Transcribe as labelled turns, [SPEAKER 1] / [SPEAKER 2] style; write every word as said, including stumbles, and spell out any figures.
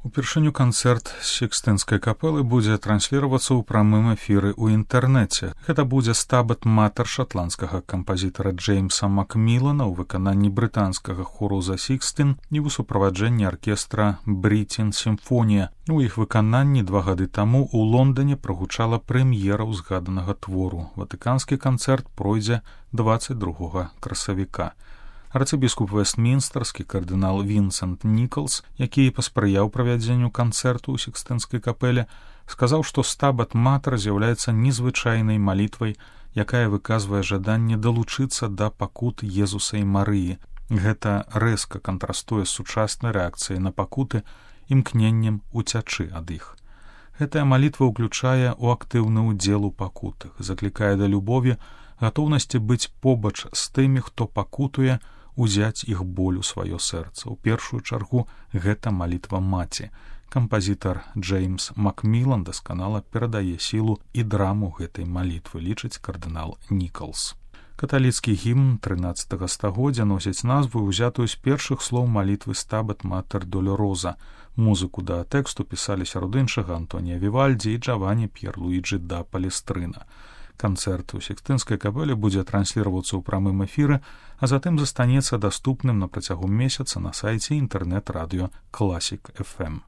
[SPEAKER 1] Упершыню канцэрт Сікстынскай капэлы будзе трансліравацца ў прамым эфіры ў інтэрнэце. Гэта будзе стабат матэр шатландскага кампазітара Джеймса Макмілана ў выкананні брытанскага хору «The Sixteen» і ў суправаджэнні аркестра «Бритін Сімфонія». У іх выкананні два гады таму ў Лондане прагучала прэм'ера ўзгаданага твору. Ватыканскі канцэрт пройдзе дваццаць другога красавіка. Арцыбіскуп Вестмінстарскі кардынал Вінсент Нікалс, які паспрыяў правядзенню канцэрту ў Сікстынскай капэле, сказаў, што стабат матэр з'яўляецца незвычайнай малітвай, якая выказвае жаданне далучыцца да пакут Езуса і Марыі. Гэта рэзка кантрастуе з сучаснай рэакцыяй на пакуты, імкненнем уцячы ад іх. Гэтая малітва ўключае ў актыўны ўдзел у пакутах, заклікае да любові, гатоўнасці быць побач з тымі, хто пакутуе, узяць іх боль у сваё сэрца. У першую чаргу гэта малітва маці. Кампазітар Джеймс Макмілан дасканала перадае сілу і драму гэтай малітвы, лічыць кардынал Нікалс. Каталіцкі гімн трынаццатага стагоддзя носіць назву, узятую з першых слоў малітвы стабат матэр долороза. Музыку да тэксту пісалі сярод іншага Антонія Вівальдзі і Джавані П'ерлуіджы да Палестрына. Канцэрт у Сікстынскай капэле будзе трансліравацца ў прамым эфіры, а затым застанецца даступным на працягу месяца на сайце інтэрнэт-радыё Класік эф эм.